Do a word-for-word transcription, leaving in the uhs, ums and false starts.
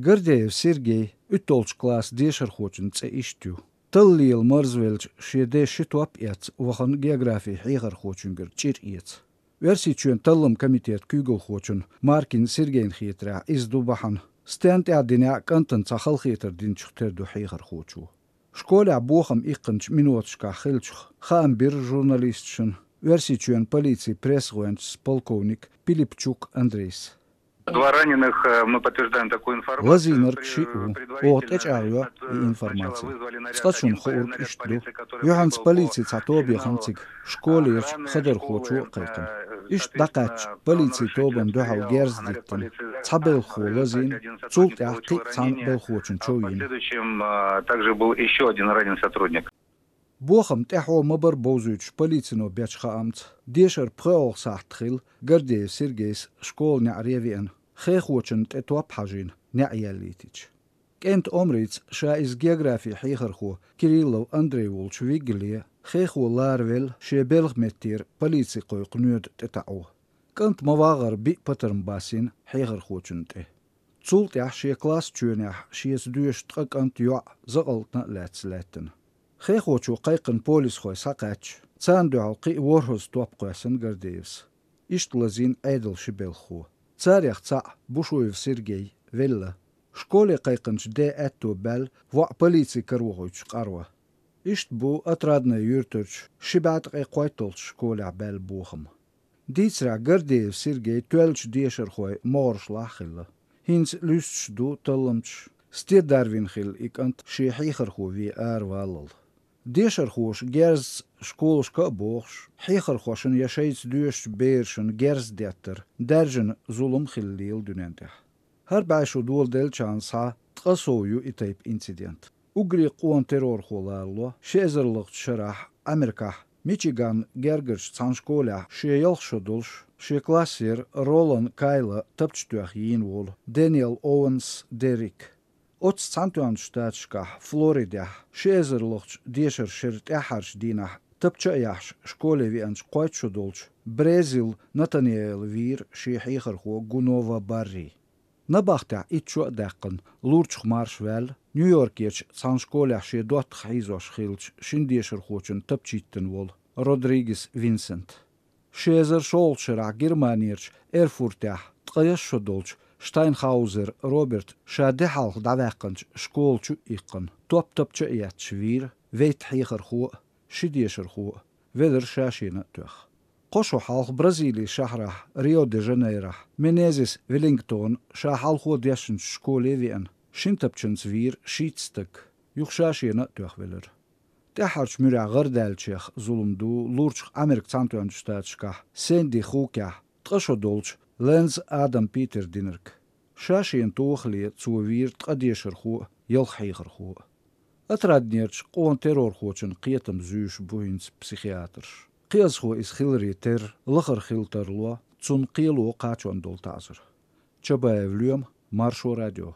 Гордеев Сергей уьтталгӀачу классан дешархочун цӀе иштта ю. Талла лела марзвелча шен ден ши топ эцна вахана географин хьехархочуьнгара чӀир эца. Оьрсийчоьнан талламан комитетан куьйгалхочун Маркин Сергейна хетарехь, иза ду бахьана, стенна тӀехь динехь а кӀантана цхьа халахетар динчух тера ду хьехархочо. Школехь бохам иккхинчу миноташкахь хиллачух хаам бира журналисташна Оьрсийчоьнан полицин пресс-гӀоьнчас полковник Пилипчук Андрейс. Два раненых, э, мы подтверждаем такую информацию. Лазийнарг шиъ ву. Оха тӀечӀагӀйо и информаци. Цкъачунна хуура иштта ду. Юьхьанца полицин цхьа тоба яхана цига, школерчу хадархочо а кхайкхина. Иштта дӀакхаьчча, полицин тобанна дуьхьал герз диттина. Цхьа белхахо лазийна, цул тӀаьхьа кхин а цхьана белхахочун чов йина. Последующем, э, также был ещё один раненый сотрудник. Бохам тӀаьхьо ма-барра бовзуьйтуш полицино бечу хаамца, дешаран пхоьалгӀа сахьт хилла Гордеев Сергейс школа неӀаре а веана, хехочунна тӀе топ хьажийна, неӀ яьллийтича. КӀентан омрица ша иза географин хьехархо Кириллов Андрей волчу виггале, хехо ларавелла шен белхан меттера полици кхойкху ноьда тӀетаӀо. КӀант ма-вагӀара биъ патарм басийна хьехархочунна тӀе. Цул тӀаьхьа шен класс чоьнехь шеца доьшу ткъа кӀант, йоӀ закъалтана а лаьцна лаьттина. Хехочо кхайкхина полисхой схьакхаьчча, царна дуьхьал кхин а ворхӀазза топ кхоьссина Гордеевс. Иштта лазийна Ӏедалан ши белхахо. Царех цхьаъ, Бушуев Сергей, велла. Школе кхайкхинчу ден аьтто баьлла воӀ полицин карахуьйтуш къарво. Иштта бу Отрадное юьртарчу ши бӀе ткъе кхойтталгӀачу школехь баьлла бохам. Дийцарехь, Гордеев Сергей тоьллачу дешархойн могӀаршлахь а хилла. ХӀинца луьстуш ду талламчаш, стен дарвина хилла и кӀант шен хьехархо вен араваллал. Дешархоша герзаца школашка а бохуш, хьехархошна я шайца доьшучу берашна герз деттар даьржина зулам хилла лела дуьнен тӀехь. ХӀара бӀе шо доладеллачарна схьа ткъа сов ю и тайпа инцидент. Уггаре къона террорхо ларало ши эзарлахчу шарахь Америкахь Мичиган гергарчу цхьана школехь шен ялх шо долуш, шен классера Ролан Кайла тапча тоьхна йийна волу Дэниел Оуэнс Деррик. Оццу Цхьаьнатоьхначу Штаташкахь, Флоридехь, ши эзарлахчу дешаран шеран тӀаьххьарчу дийнахь тапча а яхьаш школе веанчу кхойтта шо долчу Брезил Натаниэла вийра шен хьехархо Гунова Барри. Набахтехь итт шо а даьккхина, лурчух марша ваьлла Нью-Йоркерчу цхьана школехь шен доттагӀа хьийзош хиллачу шина дешархочунна тапча йиттина волу Родригес Винсент. Ши эзар шолгӀачу шарахь Германерчу Эрфуртехь ткъаесна шо долчу Штайнхаузер Роберта ша де хьалха дӀаваьккхинчу школа чу а иккхина, топ тапча а етташ вийра вейтта хьехархо а, ши дешархо а, велира ша шена а тоьхна. Кхо шо хьалха Бразилин шахьарахь Рио-де-Жанейрохь Менезес Веллингтона ша хьалхо дешначу школе а веана, шина тапчанца вийра шийтта стаг, юха ша шена а тоьхна велира. ТӀаьххьарчу муьрехь гӀардаьллачех зулам ду лурчух Америкин Цхьаьнатоьхначу Штаташкахь Сэнди Хукехь ткъа шо долчу Лэнз Адам Питера динарг. Ша шена тохале цо вийра ткъа дешархо а, ялх хьехархо а. Отраднерчу къона террорхочун кхетам зуьйш бу хӀинца психиатрша. Кхиазхо иза хиларе терра, лахара хила тарло, цунна кхело кхачон долу таӀзар. Чабаев Лоьма, Маршо радио.